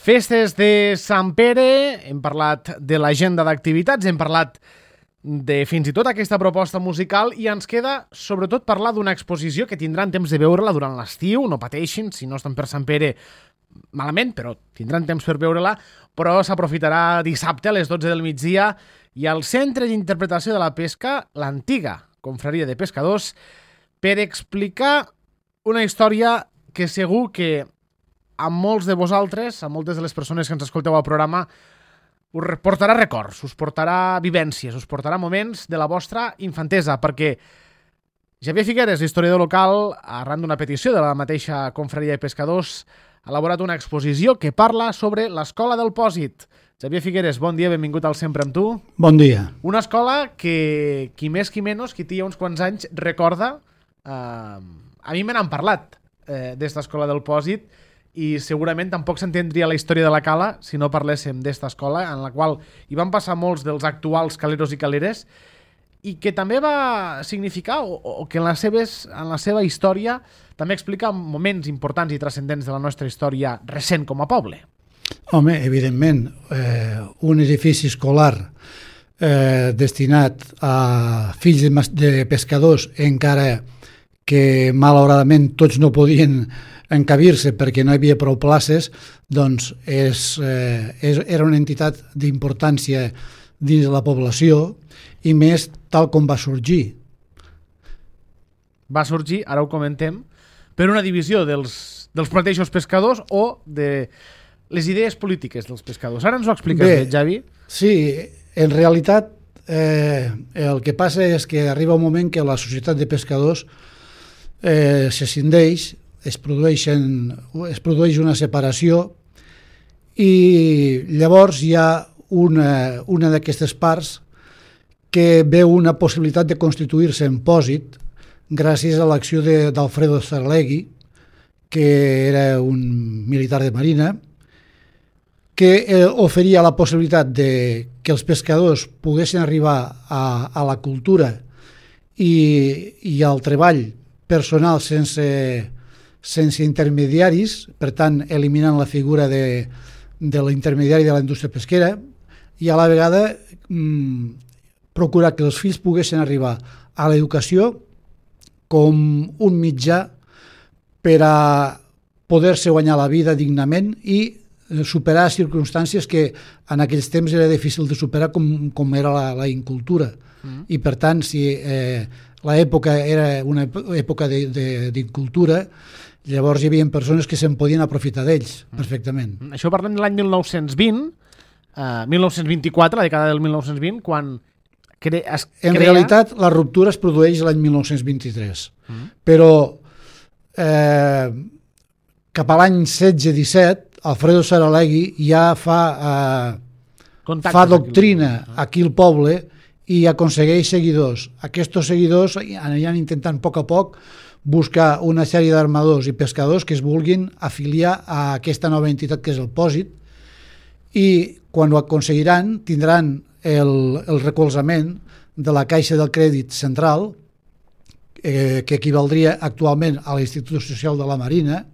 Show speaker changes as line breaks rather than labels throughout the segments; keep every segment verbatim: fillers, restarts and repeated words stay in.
Festes de Sant Pere, hem parlat de l'agenda d'activitats, hem parlat de fins i tot aquesta proposta musical i ens queda sobretot parlar d'una exposició que tindran temps de veure-la durant l'estiu, no pateixin, si no estan per Sant Pere malament, però tindran temps per veure-la, però s'aprofitarà dissabte a les dotze del migdia i al Centre d'Interpretació de la Pesca, l'antiga Confraria de Pescadors, per explicar una història que segur que a molts de vosaltres, a moltes de les persones que ens escolteu al programa, us portarà records, us portarà vivències, us portarà moments de la vostra infantesa, perquè Xavier Figueres, historiador local, arran d'una petició de la mateixa Confraria de Pescadors, ha elaborat una exposició que parla sobre l'Escola del Pòsit. Xavier Figueres, bon dia, benvingut al Sempre amb tu.
Bon dia.
Una escola que, qui més qui menys, qui té uns quants anys, recorda, eh, a mi me n'han parlat eh, d'esta Escola del Pòsit, i segurament tampoc s'entendria la història de la cala si no parléssim d'esta escola, en la qual hi van passar molts dels actuals caleros i caleres, i que també va significar, o, o que en, les seves, en la seva història també explica moments importants i transcendents de la nostra història recent com a poble.
Home, evidentment, eh, un edifici escolar eh, destinat a fills de, de pescadors, encara que malauradament tots no podien encabir-se perquè no hi havia prou places, doncs és, eh, és, era una entitat d'importància dins de la població i més tal com va sorgir.
Va sorgir, ara ho comentem, per una divisió dels, dels mateixos pescadors o de les idees polítiques dels pescadors. Ara ens ho expliques bé, bé Javi?
Sí, en realitat eh, el que passa és que arriba un moment que la societat de pescadors eh, se scindeix, es, produeixen, es produeix una separació i llavors hi ha una, una d'aquestes parts que veu una possibilitat de constituir-se en pòsit gràcies a l'acció d'Alfredo Zarlegui, que era un militar de marina, que eh, oferia la possibilitat de que els pescadors poguessin arribar a, a la cultura i, i al treball personal sense, sense intermediaris, per tant eliminant la figura de, de l'intermediari de la indústria pesquera, i a la vegada mmm, procurar que els fills poguessin arribar a l'educació com un mitjà per a poder-se guanyar la vida dignament i superar circumstàncies que en aquells temps era difícil de superar, com, com era la, la incultura. Mm. I per tant, si eh, l'època era una època d'incultura, llavors hi havia persones que se'n podien aprofitar d'ells mm. perfectament.
Això parlem de l'any mil nou-cents vint, eh, mil nou-cents vint-i-quatre, la dècada del mil nou-cents vint, quan cre es crea...
En realitat, la ruptura es produeix l'any mil nou-cents vint-i-tres, mm. però eh, cap a l'any setze disset, Alfredo Zarlegui ja fa, eh, fa doctrina aquí al poble i aconsegueix seguidors. Aquests seguidors aniran intentant a poc a poc buscar una sèrie d'armadors i pescadors que es vulguin afiliar a aquesta nova entitat que és el Pòsit, i quan ho aconseguiran tindran el, el recolzament de la Caixa del Crèdit Central, eh, que equivaldria actualment a l'Institut Social de la Marina,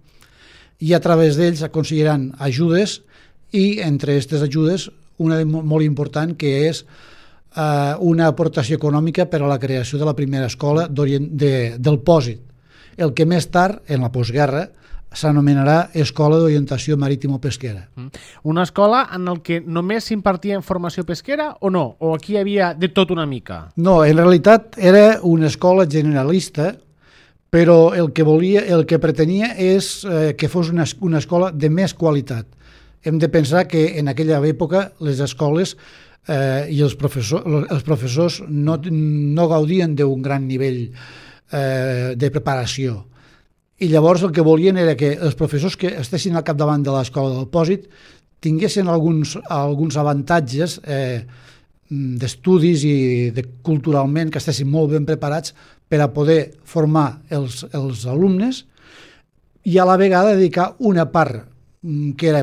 i a través d'ells aconseguiran ajudes, i entre aquestes ajudes una molt important que és eh, una aportació econòmica per a la creació de la primera escola de, del Pòsit, el que més tard, en la postguerra, s'anomenarà Escola d'Orientació Marítimo-Pesquera.
Una escola en el que només s'impartia formació pesquera o no? O aquí hi havia de tot una mica?
No, en realitat era una escola generalista, però el que volia, el que pretenia és eh, que fos una, una escola de més qualitat. Hem de pensar que en aquella època les escoles eh, i els professors, els professors no, no gaudien d'un gran nivell eh, de preparació. I llavors el que volien era que els professors que estessin al capdavant de l'escola del Pòsit tinguessin alguns, alguns avantatges eh, d'estudis i de, culturalment, que estessin molt ben preparats per a poder formar els, els alumnes i a la vegada dedicar una part, que era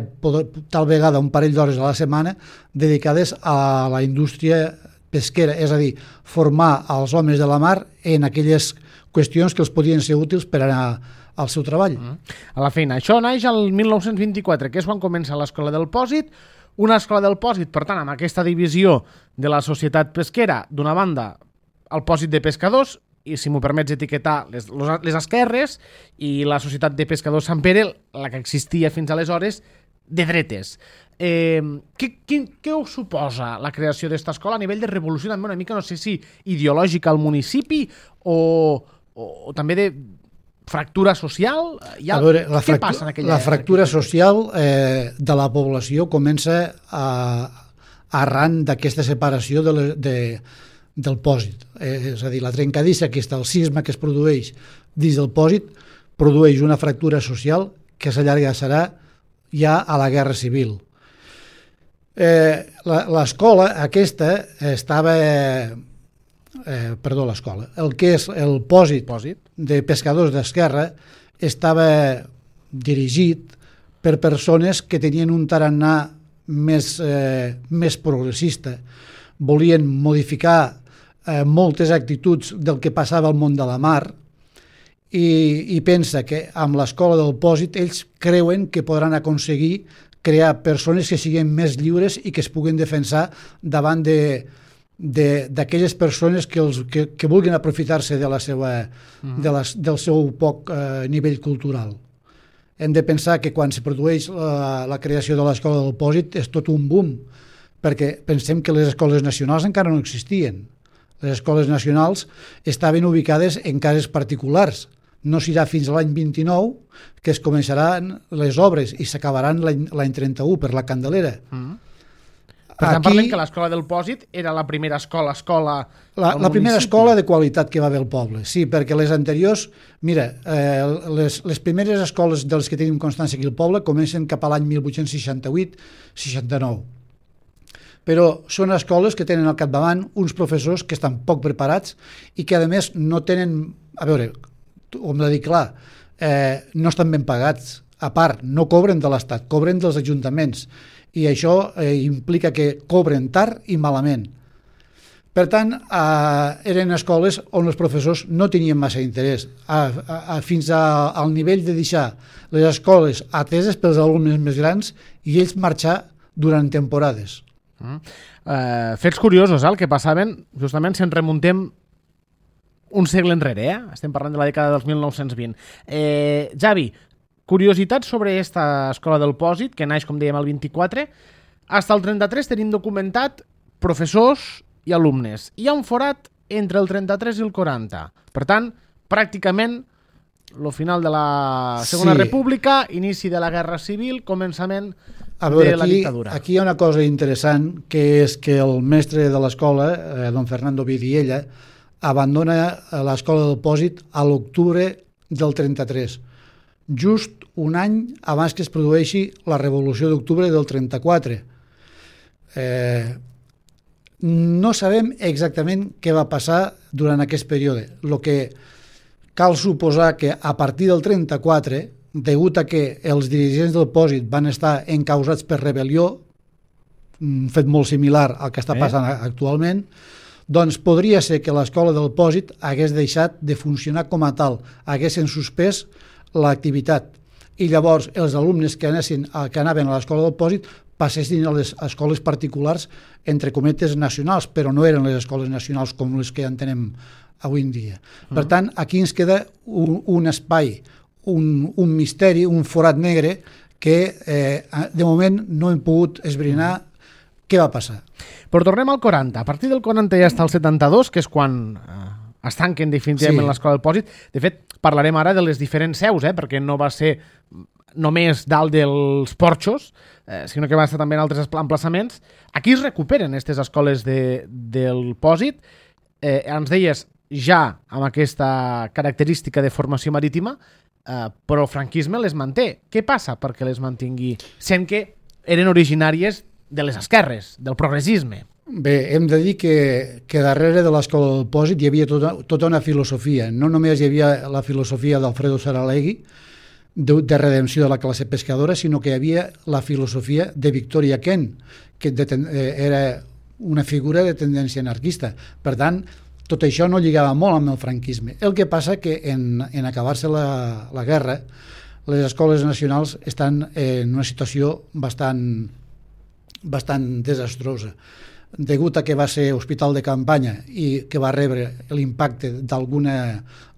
tal vegada un parell d'hores a la setmana, dedicades a la indústria pesquera, és a dir, formar els homes de la mar en aquelles qüestions que els podien ser útils per anar al seu treball.
Mm. A la feina. Això naix el mil nou-cents vint-i-quatre, que és quan comença l'Escola del Pòsit, una escola del Pòsit, per tant, amb aquesta divisió de la societat pesquera, d'una banda, el Pòsit de pescadors, i si m'ho permets etiquetar les, les esquerres, i la societat de pescadors Sant Pere, la que existia fins aleshores, de dretes. Eh, què, què, què us suposa la creació d'esta escola a nivell de revolució, també una mica, no sé si ideològica al municipi o, o, o també de fractura social? Ha,
a veure, la
què
fractu
passa en aquella...
La fractura social eh, de la població comença a, arran d'aquesta separació de, de, del pòsit. Eh, és a dir, la trencadissa aquesta, el cisma que es produeix dins del pòsit, produeix una fractura social que s'allargassarà ja a la Guerra Civil. Eh, l'escola aquesta estava... Eh, perdó, l'escola. El que és el pòsit,
pòsit
de pescadors d'esquerra estava dirigit per persones que tenien un tarannà més, eh, més progressista. Volien modificar eh, moltes actituds del que passava al món de la mar i, i pensa que amb l'escola del pòsit ells creuen que podran aconseguir crear persones que siguin més lliures i que es puguen defensar davant de d'aquelles persones que, els, que, que vulguin aprofitar-se de la seva, uh-huh. de les, del seu poc eh, nivell cultural. Hem de pensar que quan se produeix la, la creació de l'escola del pòsit és tot un boom, perquè pensem que les escoles nacionals encara no existien. Les escoles nacionals estaven ubicades en cases particulars. No serà fins a l'any vint-i-nou que es començaran les obres i s'acabaran l'any trenta-u per la Candelera. Uh-huh.
Per tant, parlem que l'escola del Pòsit era la primera escola, escola
la, la primera escola de qualitat que va haver al poble, sí, perquè les anteriors, mira, eh, les, les primeres escoles dels que tenim constància aquí al poble comencen cap a l'any mil vuit-cents seixanta-vuit seixanta-nou. Però són escoles que tenen al capdavant uns professors que estan poc preparats i que, a més, no tenen... A veure, ho hem de dir clar, eh, no estan ben pagats. A part, no cobren de l'Estat, cobren dels ajuntaments. I això eh, implica que cobren tard i malament. Per tant, eh, eren escoles on els professors no tenien massa interès, a, a, a, fins a, al nivell de deixar les escoles ateses pels alumnes més grans i ells marxar durant temporades.
Mm. Uh, fets curiosos, eh, el que passaven, justament si ens remuntem un segle enrere, eh? Estem parlant de la dècada dels mil nou-cents vint. Eh, Javi, curiositats sobre esta escola del Pòsit, que naix, com dèiem, el vint-i-quatre. Hasta el trenta-tres tenim documentat professors i alumnes. Hi ha un forat entre el trenta-tres i el quaranta. Per tant, pràcticament, el final de la Segona sí. República, inici de la Guerra Civil, començament
a veure,
de la
aquí,
dictadura. Aquí
hi ha una cosa interessant, que és que el mestre de l'escola, eh, don Fernando Vidiella, abandona l'escola del Pòsit a l'octubre del trenta-tres. Just un any abans que es produeixi la Revolució d'Octubre del trenta-quatre. Eh, no sabem exactament què va passar durant aquest període. El que cal suposar que a partir del trenta-quatre, degut a que els dirigents del Pòsit van estar encausats per rebel·lió, un fet molt similar al que està passant eh? actualment, doncs podria ser que l'escola del Pòsit hagués deixat de funcionar com a tal, haguessin suspès l'activitat i llavors els alumnes que, anessin, que anaven a l'escola del Pòsit passessin a les escoles particulars, entre cometes nacionals, però no eren les escoles nacionals com les que entenem avui en dia. Uh-huh. Per tant, aquí ens queda un, un espai, un, un misteri, un forat negre que eh, de moment no hem pogut esbrinar què va passar.
Però tornem al quaranta. A partir del quaranta ja està el setanta-dos, que és quan eh, es tanquen definitivament sí. l'escola del Pòsit. De fet, parlarem ara de les diferents seus, eh, perquè no va ser només dalt dels porxos, eh, sinó que va estar també en altres emplaçaments. Aquí es recuperen aquestes escoles de, del Pòsit. Eh, ens deies ja amb aquesta característica de formació marítima, eh, però el franquisme les manté. Què passa perquè les mantingui? Sent que eren originàries de les esquerres, del progressisme.
Bé, hem de dir que, que darrere de l'escola del Pòsit hi havia tota, tota una filosofia. No només hi havia la filosofia d'Alfredo Saralegui, de, de redempció de la classe pescadora, sinó que hi havia la filosofia de Victoria Kent, que de, era una figura de tendència anarquista. Per tant, tot això no lligava molt amb el franquisme. El que passa que en, en acabar-se la, la guerra, les escoles nacionals estan en una situació bastant, bastant desastrosa. Degut a que va ser hospital de campanya i que va rebre l'impacte d'alguna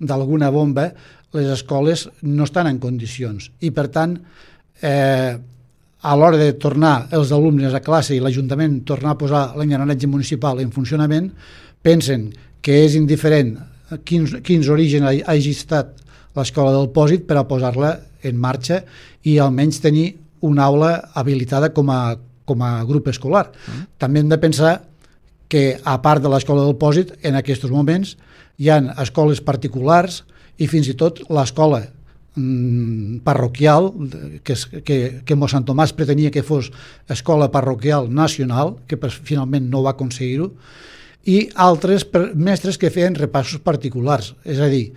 d'alguna bomba, les escoles no estan en condicions. I, per tant, eh, a l'hora de tornar els alumnes a classe i l'Ajuntament tornar a posar l'engranatge municipal en funcionament, pensen que és indiferent quins, quins orígens hagi estat l'escola del Pòsit per a posar-la en marxa i almenys tenir una aula habilitada com a, com a grup escolar. Mm. També hem de pensar que, a part de l'escola del Pòsit, en aquests moments hi ha escoles particulars i fins i tot l'escola mm, parroquial, que, que, que Sant Tomàs pretenia que fos escola parroquial nacional, que per, finalment no va aconseguir-ho, i altres per, mestres que feien repassos particulars. És a dir,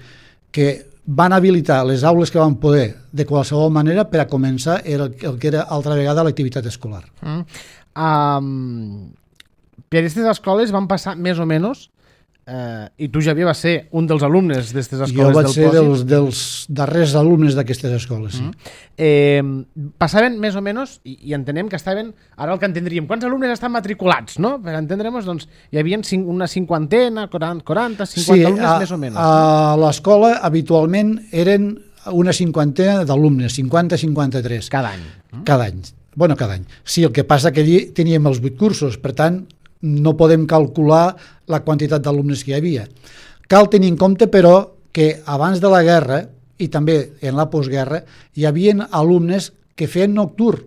que van habilitar les aules que van poder de qualsevol manera per a començar el, el que era altra vegada l'activitat escolar.
Mm. Um, per aquestes escoles van passar més o menys, eh, i tu, Javier, vas ser un dels alumnes d'aquestes escoles del Pòsit.
Jo vaig ser dels, dels darrers alumnes d'aquestes escoles, sí.
Mm. Eh, passaven més o menys, i, i entenem que estaven, ara el que entendríem, quants alumnes estan matriculats, no? Per entendre'ns, doncs, hi havia una cinquantena, quaranta, cinquanta sí, alumnes
a,
més o menys.
A l'escola habitualment eren una cinquantena d'alumnes, cinquanta a cinquanta-tres.
Cada any.
Mm? Cada any. Bueno, cada any. Sí, el que passa que allí teníem els vuit cursos, per tant, no podem calcular la quantitat d'alumnes que hi havia. Cal tenir en compte, però, que abans de la guerra, i també en la postguerra, hi havia alumnes que feien nocturn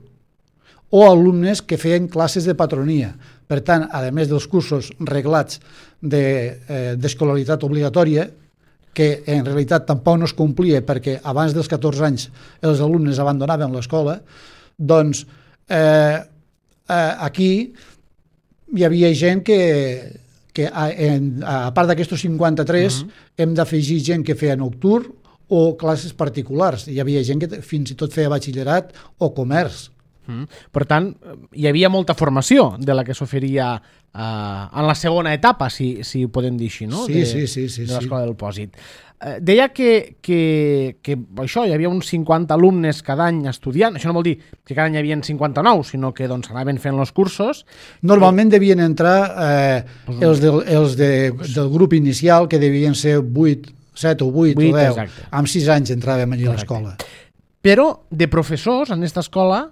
o alumnes que feien classes de patronia. Per tant, a més dels cursos reglats d'escolaritat de, eh, obligatòria, que en realitat tampoc no es complia perquè abans dels catorze anys els alumnes abandonaven l'escola, doncs eh, eh, aquí hi havia gent que, que a, en, a part d'aquestos cinquanta-tres uh-huh. hem d'afegir gent que feia nocturn o classes particulars. Hi havia gent que fins i tot feia batxillerat o comerç.
Uh-huh. Per tant, hi havia molta formació de la que s'oferia uh, en la segona etapa, si, si ho podem dir així, no?
Sí,
de,
sí, sí, sí.
de l'escola
sí.
del Pòsit. Uh, deia que, que, que això, hi havia uns cinquanta alumnes cada any estudiant. Això no vol dir que cada any hi havia cinquanta-nou, sinó que doncs, anaven fent els cursos.
Normalment i... devien entrar eh, pues, els, del, els de, del grup inicial, que devien ser vuit, set o vuit o deu. Exacte. Amb sis anys entràvem allà a l'escola.
Però de professors, en aquesta escola,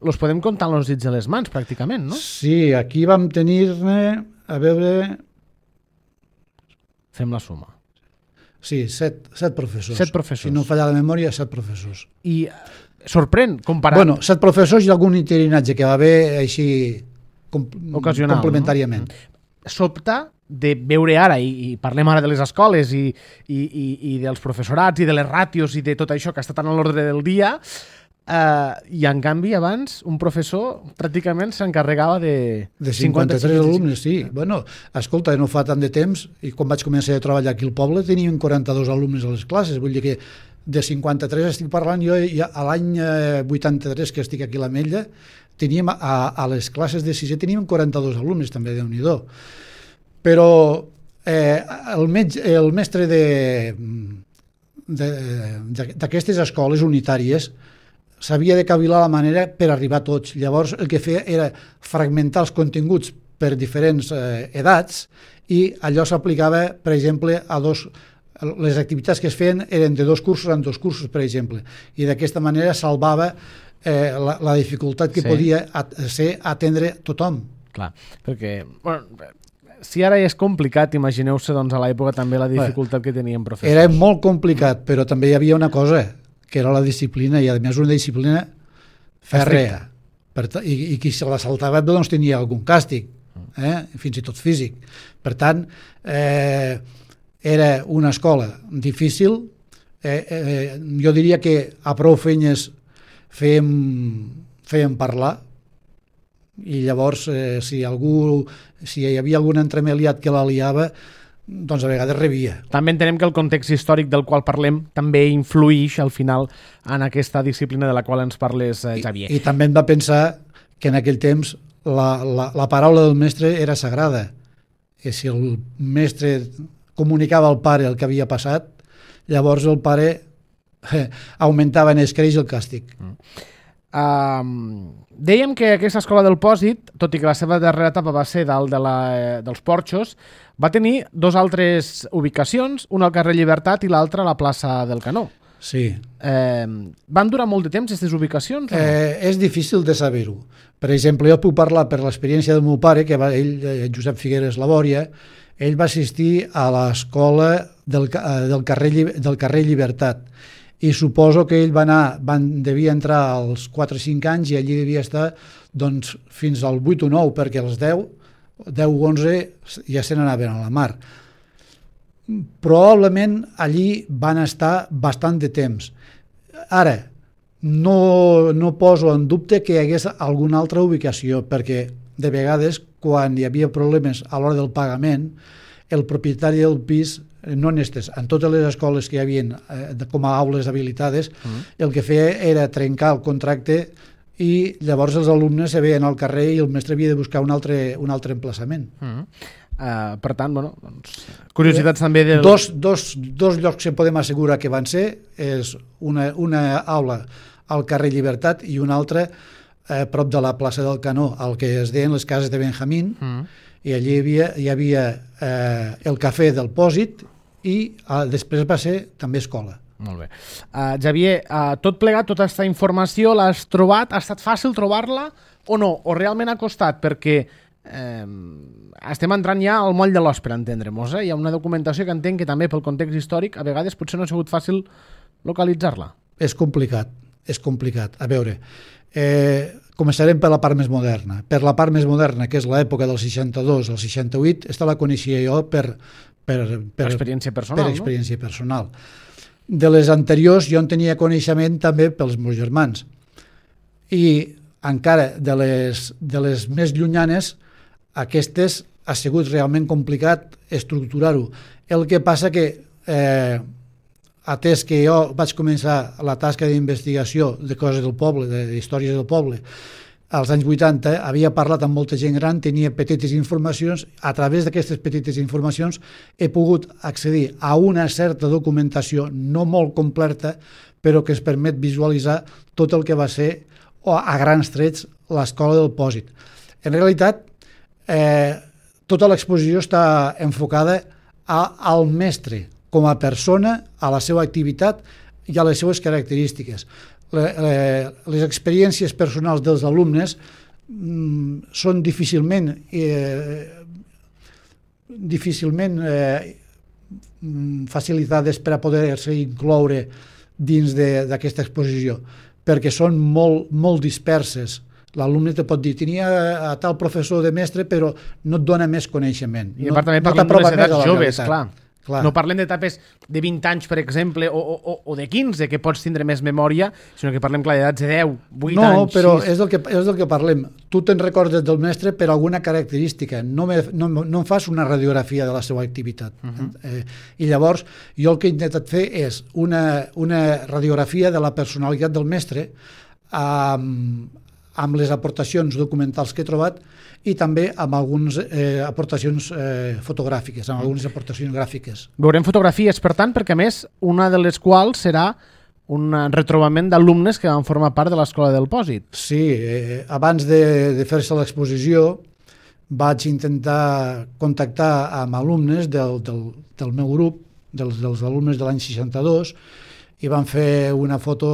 els podem comptar amb els dits de les mans, pràcticament, no?
Sí, aquí vam tenir-ne, a veure...
Fem la suma.
Sí, set, set professors.
Set professors.
Si no falla la memòria, set professors.
I sorprèn, comparant...
Bueno, set professors i algun interinatge que va haver així com,
ocasional,
complementàriament.
No? Sobta de veure ara, i, i parlem ara de les escoles i, i, i, i dels professorats i de les ràtios i de tot això que està tan a l'ordre del dia, Uh, i en canvi abans un professor pràcticament s'encarregava de...
De cinquanta-tres alumnes, sí. Bueno, escolta, no fa tant de temps, i quan vaig començar a treballar aquí al poble teníem quaranta-dos alumnes a les classes, vull dir que de cinquanta-tres estic parlant jo, ja a l'any vuitanta-tres que estic aquí a l'Ametlla, teníem a, a les classes de sisè teníem quaranta-dos alumnes, també, Déu-n'hi-do. Però eh, el, metge, el mestre d'aquestes escoles unitàries s'havia de cavilar la manera per arribar a tots. Llavors el que feia era fragmentar els continguts per diferents eh, edats i allò s'aplicava, per exemple, a dos... Les activitats que es feien eren de dos cursos en dos cursos, per exemple, i d'aquesta manera salvava eh, la, la dificultat que sí. podia at ser atendre tothom.
Clar, perquè... Bueno, si ara és complicat, imagineu-se doncs, a l'època també la dificultat Bé, que tenien professors.
Era molt complicat, però també hi havia una cosa, que era la disciplina, i a més una disciplina fèrrea. I, i qui se la saltava doncs tenia algun càstig, eh? fins i tot físic. Per tant, eh, era una escola difícil. Eh, eh, jo diria que a prou feines fèiem, fèiem parlar, i llavors eh, si algú si hi havia algun entremaliat que la liava, doncs a vegades rebia.
També entenem que el context històric del qual parlem també influïx al final en aquesta disciplina de la qual ens parles, eh, Javier.
I, I també hem de pensar que en aquell temps la, la, la paraula del mestre era sagrada. i si el mestre comunicava al pare el que havia passat, llavors el pare eh, augmentava en escreix el càstig.
Mm. Um, dèiem que aquesta escola del Pòsit, tot i que la seva darrera etapa va ser dalt de la, dels Porxos, va tenir dos altres ubicacions, una al carrer Llibertat i l'altra a la plaça del Canó.
Sí.
Eh, van durar molt de temps aquestes ubicacions? O no?
Eh, és difícil de saber-ho. Per exemple, jo puc parlar per l'experiència del meu pare, que va, ell, Josep Figueres Labòria, ell va assistir a l'escola del, del, carrer, del carrer Llibertat, i suposo que ell va anar, van, devia entrar als quatre o cinc anys i allí devia estar doncs, fins al vuit o nou, perquè als deu, deu o onze ja se n'anaven a la mar. Probablement allí van estar bastant de temps. Ara, no, no poso en dubte que hi hagués alguna altra ubicació, perquè de vegades, quan hi havia problemes a l'hora del pagament, el propietari del pis, no en estes, en totes les escoles que hi havia eh, com a aules habilitades, uh-huh. el que feia era trencar el contracte i llavors els alumnes se veien al carrer i el mestre havia de buscar un altre, un altre emplaçament.
Uh-huh. Uh, per tant, bueno, doncs, curiositats eh, també del...
Dos, dos, dos llocs que podem assegurar que van ser és una, una aula al carrer Llibertat i una altra eh, prop de la plaça del Canó, el que es deien les cases de Benjamín, uh-huh. i allí hi havia, hi havia eh, el cafè del Pòsit i eh, després va ser també escola.
Molt bé. Uh, Xavier, uh, tot plegat, tota aquesta informació l'has trobat? Ha estat fàcil trobar-la o no? O realment ha costat? Perquè eh, estem entrant ja al moll de l'os, per entendre-nos. Eh? Hi ha una documentació que entenc que també pel context històric a vegades potser no ha sigut fàcil localitzar-la.
És complicat, és complicat. A veure, eh, començarem per la part més moderna. Per la part més moderna, que és l'època del seixanta-dos al seixanta-vuit, esta la coneixia jo per, per, per,
experiència personal,
per experiència no? personal. De les anteriors jo en tenia coneixement també pels meus germans. I encara de les, de les més llunyanes, aquestes ha sigut realment complicat estructurar-ho. El que passa que, eh, atès que jo vaig començar la tasca d'investigació de coses del poble, d'històries del poble, als anys vuitanta, havia parlat amb molta gent gran, tenia petites informacions, a través d'aquestes petites informacions he pogut accedir a una certa documentació, no molt completa, però que es permet visualitzar tot el que va ser, o a grans trets, l'escola del Pòsit. En realitat, eh, tota l'exposició està enfocada a, al mestre, com a persona, a la seva activitat i a les seues característiques. Les experiències personals dels alumnes mm, són difícilment eh, difícilment eh, facilitades per a poder-se incloure dins d'aquesta exposició, perquè són molt, molt disperses. L'alumne te pot dir, tenia a tal professor de mestre, però no et dona més coneixement.
I a part també
no,
parlem
no
de les edats joves, clar.
Clar.
No parlem d'etapes de vint anys, per exemple, o, o, o de quinze, que pots tindre més memòria, sinó que parlem, clar, d'edats de deu, vuit
no,
anys,
No, però
sis.
és del, que, és del que parlem. Tu te'n recordes del mestre per alguna característica, no, me, no, no em fas una radiografia de la seva activitat. Uh-huh. eh, I llavors, jo el que he intentat fer és una, una radiografia de la personalitat del mestre amb, amb les aportacions documentals que he trobat i també amb algunes eh, aportacions eh, fotogràfiques, amb algunes aportacions gràfiques.
Veurem fotografies, per tant, perquè a més, una de les quals serà un retrobament d'alumnes que van formar part de l'escola del Pòsit.
Sí, eh, abans de, de fer-se l'exposició vaig intentar contactar amb alumnes del, del, del meu grup, dels, dels alumnes de l'any seixanta-dos, i van fer una foto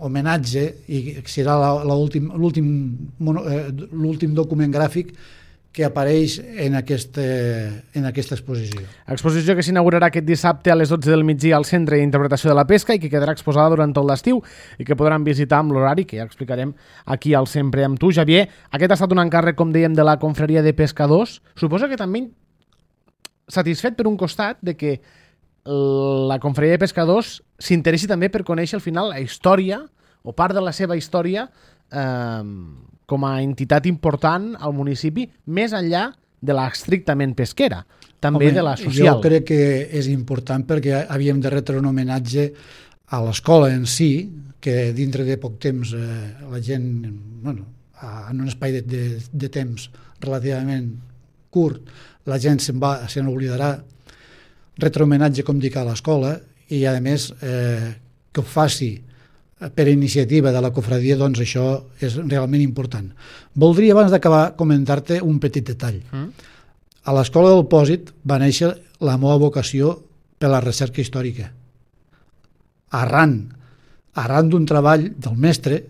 homenatge i serà l'últim l'últim document gràfic que apareix en, aquest, en aquesta exposició.
Exposició que s'inaugurarà aquest dissabte a les dotze del migdia al Centre d'Interpretació de la Pesca i que quedarà exposada durant tot l'estiu i que podran visitar amb l'horari que ja explicarem aquí al Sempre amb tu, Xavier. Aquest ha estat un encàrrec, com dèiem, de la Confraria de Pescadors. Suposo que també satisfet per un costat de que la Confraria de Pescadors s'interessi també per conèixer al final la història o part de la seva història eh, com a entitat important al municipi, més enllà de la estrictament pesquera, també Home, de la social.
Jo crec que és important perquè havíem de retre un homenatge a l'escola en si, que dintre de poc temps eh, la gent, bueno, en un espai de, de, de temps relativament curt, la gent se'n va, se n'oblidarà, retrohomenatge, com dic, a l'escola, i a més eh, que ho faci per iniciativa de la cofradia, doncs això és realment important. Voldria, abans d'acabar, comentar-te un petit detall. Mm. A l'Escola del Pòsit va néixer la meva vocació per la recerca històrica. Arran, arran d'un treball del mestre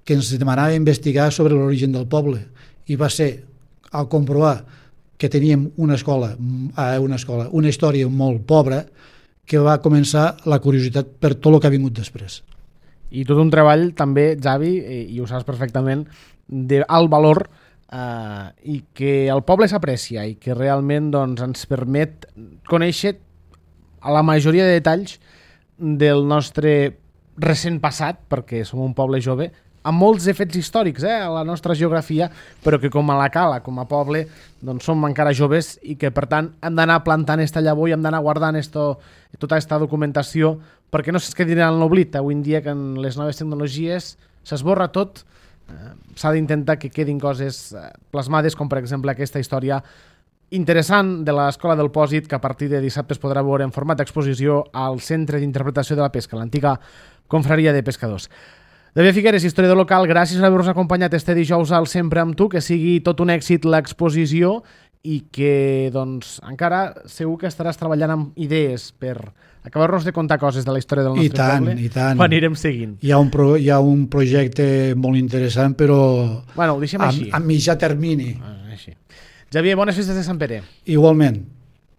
que ens demanava investigar sobre l'origen del poble, i va ser, al comprovar que teníem una escola, una escola, una història molt pobra, que va començar la curiositat per tot el que ha vingut després.
I tot un treball també, Xavi, i ho saps perfectament, d'alt valor eh, i que el poble s'aprecia i que realment doncs, ens permet conèixer a la majoria de detalls del nostre recent passat, perquè som un poble jove, amb molts efectes històrics eh, a la nostra geografia, però que com a la Cala, com a poble, doncs som encara joves i que per tant hem d'anar plantant esta llavor i hem d'anar guardant esto, tota aquesta documentació perquè no es quedi en l'oblit. Avui en dia que en les noves tecnologies s'esborra tot, eh, s'ha d'intentar que quedin coses eh, plasmades, com per exemple aquesta història interessant de l'Escola del Pòsit, que a partir de dissabte es podrà veure en format d'exposició al Centre d'Interpretació de la Pesca, l'antiga confraria de pescadors. David Figueres, historiador local, gràcies per haver-nos acompanyat este dijous al Sempre amb tu, que sigui tot un èxit l'exposició i que doncs, encara segur que estaràs treballant amb idees per acabar-nos de contar coses de la història del nostre
I tant,
poble
i tant.
quan anirem seguint.
Hi ha, un pro, hi ha un projecte molt interessant, però
bueno, ho deixem
a,
així.
a mitjà termini.
Ah, així. Xavier, bones festes de Sant Pere.
Igualment.